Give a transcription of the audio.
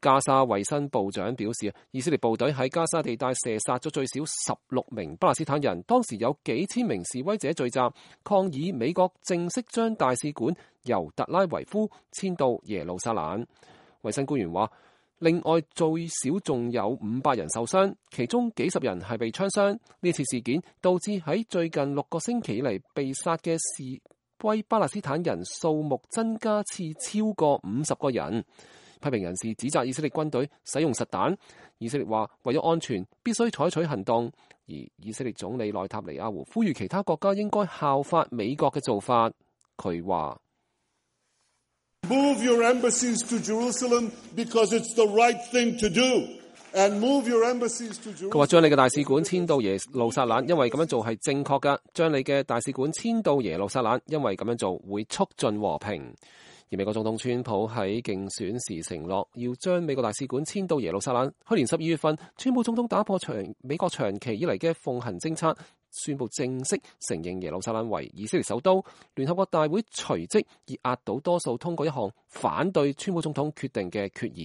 加沙衛生部長表示，以色列部隊喺加沙地帶射殺咗最少16名巴勒斯坦人。當時有幾千名示威者聚集抗議美國正式將大使館由特拉維夫遷到耶路撒冷。衛生官員話，另外最少仲有500人受傷，其中幾十人係被槍傷。呢次事件導致喺最近6個星期嚟被殺嘅示威巴勒斯坦人數目增加至超過50個人。批評人士指責以色列軍隊使用實彈。以色列話為咗安全必須採取行動，而以色列總理內塔尼亞胡呼籲其他國家應該效法美國嘅做法。佢話：Move your embassies to Jerusalem because it's the right thing to do. And move your embassies to Jerusalem. 佢話將你嘅大使館遷到耶路撒冷，因為咁樣做係正確㗎。將你嘅大使館遷到耶路撒冷，因為咁樣做會促進和平。而美國總統川普喺競選時承諾要將美國大使館遷到耶路撒冷。去年12月份，川普總統打破美國長期以嚟嘅奉行政策，宣布正式承認耶路撒冷為以色列首都。聯合國大會隨即以壓倒多數通過一項反對川普總統決定嘅決議。